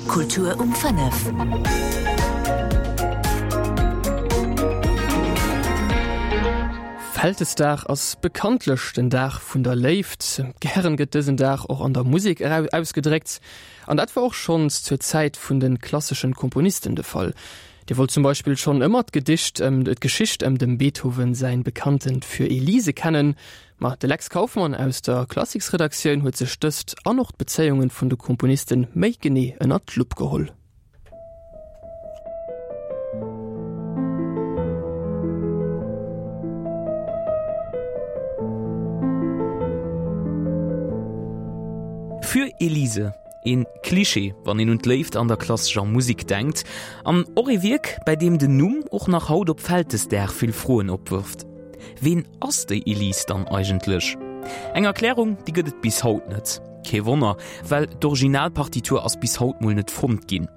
Kultur um 5. Vältesdag ass bekanntlech den Dag vun der Léift. Gären gëtt dësen Dag och an der Musek ausgedréckt. An dat war och schonns zur Zäit vun de klasseschen Komponisten de Fall. Dir wollt zum Beispill schonn ëmmer d'Gedicht ëm d'Geschicht ëm dem Beethoven säin bekanntent Für Elise kennen. Ma de Lex Kauffmann aus der Klassiksredaktioun huet sech dëst an och d'Bezéiungen vun de Komponisten méi genee ënnert d'Lupp geholl. Für Elise, Een Klischee, wann een un d'Léift an der klassescher Musek denkt. An och ee Wierk, bäi deem den Numm och nach haut op Vältesdag vill Froen opwërft. Ween ass déi Elise dann eigentlech? Eng Erklärung, déi gëtt et bis haut net. Kee Wonner, well d'Originalpartitur ass bis haut mol net fonnt ginn.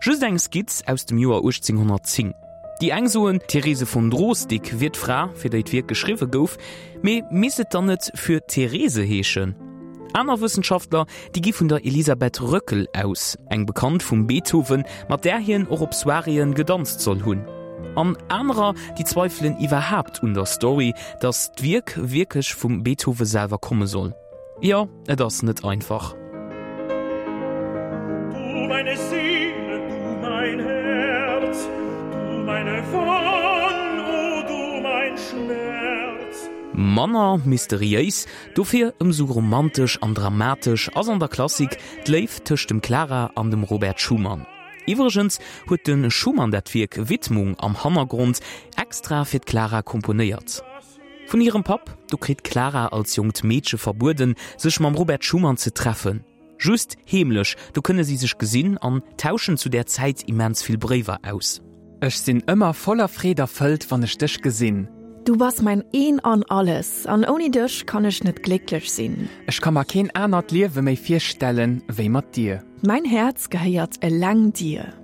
Just eng Skizz aus dem Joer 1810. Déi eng soen, d'Therese von Drosdick wier d'Fra, fir déi d'Wierk geschriwwe gouf, mee misst et dann net Für Therese heeschen? Aner Wëssenschaftler, déi gi vun der Elisabeth Röckel aus, eng Bekannt vum Beethoven, mat där hien och op Soiréeën gedanzt soll hunn. An anerer, déi zweifelen iwwerhaapt un der Story, datt d'Wierk wierklech vum Beethoven selwer komme soll. Jo, et ass net einfach. Du meine Seele, du mein Herz, du meine Wonn, o du mein Schmerz. Manner mysteriéis, dofir ëmsou romantesch an dramatesch ass an der Klassik d'Léift tëscht dem Clara an dem Robert Schumann. Iwwregens huet de Schumann dat Wierk Widmung am Hannergrond extra fir d'Clara komponéiert. Vun hirem Papp, do kritt d'Clara als jonkt Meedche verbueden, sech mam Robert Schumann ze treffen. Just heemlech, do kënne si sech gesinn an tauschen zu där Zäit immens vill Bréiwer aus. Ech sinn ëmmer voller Freed erfëllt, wann ech dech gesinn. Du bass mäin Een an Alles, an ouni dech kann ech net glécklech sinn. Ech ka mer keen anert Liewe méi virstellen, wéi mat dir. Mäin Häerz gehéiert eleng dir.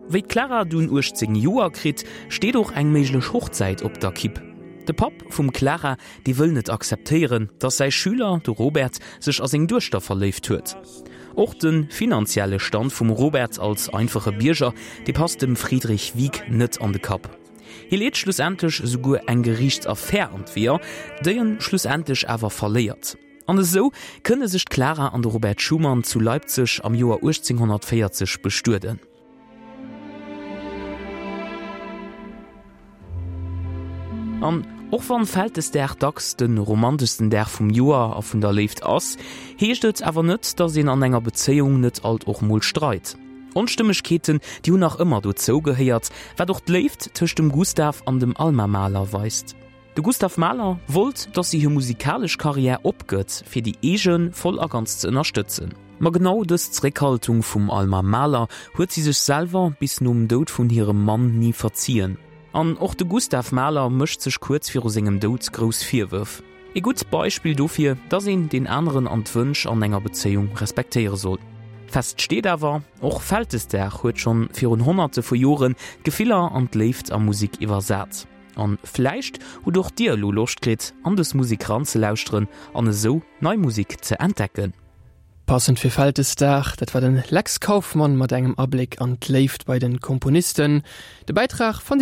Wéi d'Clara dunn 18 Joer kritt, steet och eng méiglech Hochzäit op der Kipp. De Papp vum Clara, dee wëll net akzeptéieren, datt säi Schüler, de Robert, sech a seng Duechter verléift huet. Och de finanzielle Stand vum Robert als einfache Bierger, dee passt dem Friedrich Wieck net an de Kapp. Hie leet schlussendlech esouguer eng Geriichtsaffär an d'Weeër, déi en schlussendlech awer verléiert. An esou kënne sech d'Clara an de Robert Schumann zu Leipzig am Joer 1840 bestueden. An och wann Vältesdag dacks de romanteschsten Dag vum Joer a vun der Léift ass, heescht et awer net, dass een an enger Bezéiung net alt och mol streit. Onstëmmegkeeten, déi hunn nach ëmmer dozou gehéiert, wat och d'Léift tëscht dem Gustav an dem Alma Mahler weist. De Gustav Mahler wollt, datt si hir musikalesch Karriär opgëtt, fir déi eege voll a ganz ze ënnerstëtzen. Ma genau dës Zréckhaltung vum Alma Mahler huet si sech selwer bis nom Doud vun hirem Mann ni verzien. An och de Gustav Mahler mécht sech kuerz viru sengem Doud grouss Virwërf. Ee gutt Beispill dofir, datt een deen aneren an d'Wënsch an enger Bezéiung respektéiere soll. Fest steet awer, och Vältesdag huet schonn virun Honnerte vu Joren d'Gefiller an d'Léift a Musek iwwersat. An vläicht hutt och dir elo Loscht kritt an des Musek ranzelauschteren an esou nei Musek ze entdecken. Passend fir Vältesdag, dat war den Lex Kauffmann mat engem Abléck an d'Léift bei den Komponisten. De Bäitrag fannt dir.